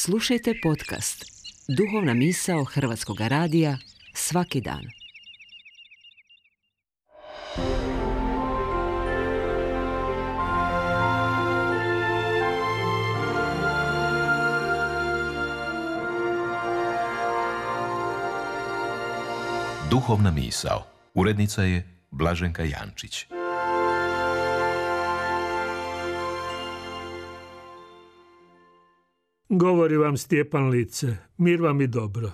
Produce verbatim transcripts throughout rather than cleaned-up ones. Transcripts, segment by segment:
Slušajte podcast Duhovna misao Hrvatskog radija svaki dan. Duhovna misao. Urednica je Blaženka Jančić. Govori vam Stjepan Lice, mir vam i dobro.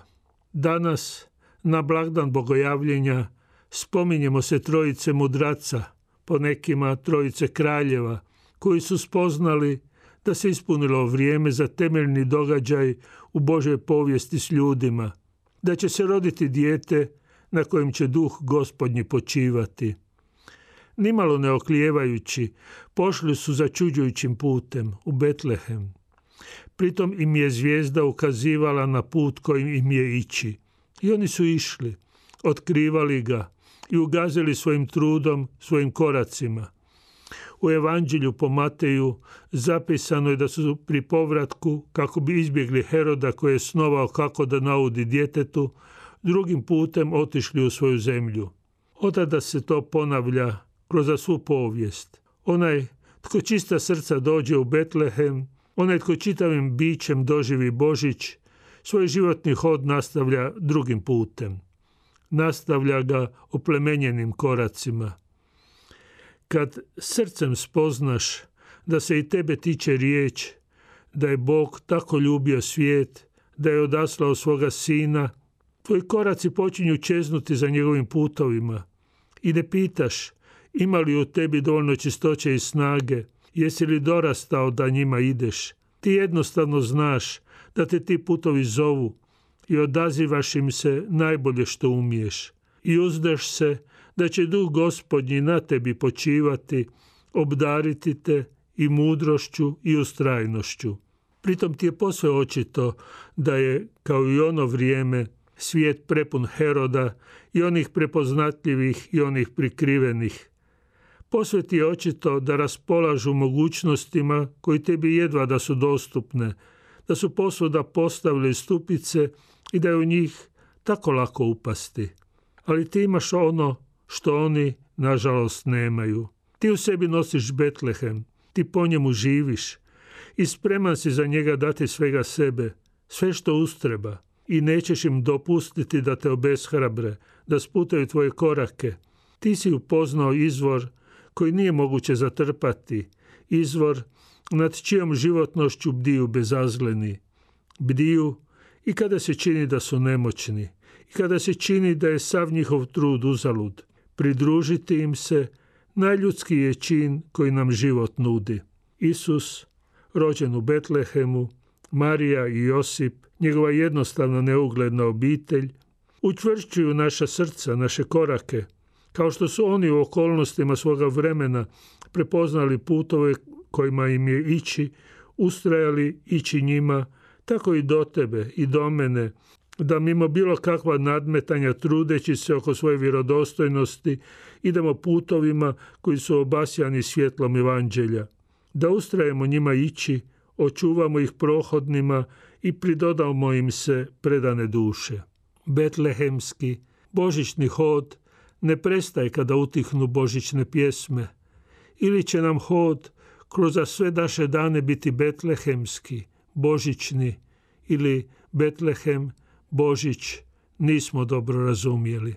Danas, na blagdan Bogojavljenja, spominjemo se trojice mudraca, po nekima trojice kraljeva, koji su spoznali da se ispunilo vrijeme za temeljni događaj u Božoj povijesti s ljudima, da će se roditi dijete na kojem će duh Gospodnji počivati. Nimalo ne oklijevajući, pošli su začuđujućim putem u Betlehem. Pritom im je zvijezda ukazivala na put kojim im je ići. I oni su išli, otkrivali ga i ugazili svojim trudom, svojim koracima. U Evanđelju po Mateju zapisano je da su pri povratku, kako bi izbjegli Heroda koji je snovao kako da naudi djetetu, drugim putem otišli u svoju zemlju. Otada se to ponavlja kroz svu povijest. Onaj tko čista srca dođe u Betlehem, onaj tko čitavim bićem doživi Božić, svoj životni hod nastavlja drugim putem. Nastavlja ga oplemenjenim koracima. Kad srcem spoznaš da se i tebe tiče riječ, da je Bog tako ljubio svijet, da je odaslao svoga sina, tvoji koraci počinju čeznuti za njegovim putovima. I ne pitaš ima li u tebi dovoljno čistoće i snage, jesi li dorastao da njima ideš. Ti jednostavno znaš da te ti putovi zovu i odazivaš im se najbolje što umiješ. I uzdaš se da će duh Gospodnji na tebi počivati, obdariti te i mudrošću i ustrajnošću. Pritom ti je posve očito da je, kao i ono vrijeme, svijet prepun Heroda i onih prepoznatljivih i onih prikrivenih. Posve ti je očito da raspolažu mogućnostima koji tebi jedva da su dostupne, da su posvuda postavili stupice i da je u njih tako lako upasti. Ali ti imaš ono što oni, nažalost, nemaju. Ti u sebi nosiš Betlehem, ti po njemu živiš i spreman si za njega dati svega sebe, sve što ustreba, i nećeš im dopustiti da te obeshrabre, da sputaju tvoje korake. Ti si upoznao izvor koji nije moguće zatrpati, izvor nad čijom životnošću bdiju bezazleni. Bdiju i kada se čini da su nemoćni, i kada se čini da je sav njihov trud uzalud. Pridružiti im se najljudski je čin koji nam život nudi. Isus, rođen u Betlehemu, Marija i Josip, njegova jednostavna neugledna obitelj, učvršćuju naša srca, naše korake, kao što su oni u okolnostima svoga vremena prepoznali putove kojima im je ići, ustrajali ići njima, tako i do tebe i do mene, da mimo bilo kakva nadmetanja trudeći se oko svoje vjerodostojnosti idemo putovima koji su obasjani svjetlom Evanđelja. Da ustrajemo njima ići, očuvamo ih prohodnima i pridodamo im se predane duše. Betlehemski, božićni hod ne prestaje kada utihnu božićne pjesme. Ili će nam hod kroz sve naše dane biti betlehemski, božićni, ili Betlehem, Božić, nismo dobro razumjeli.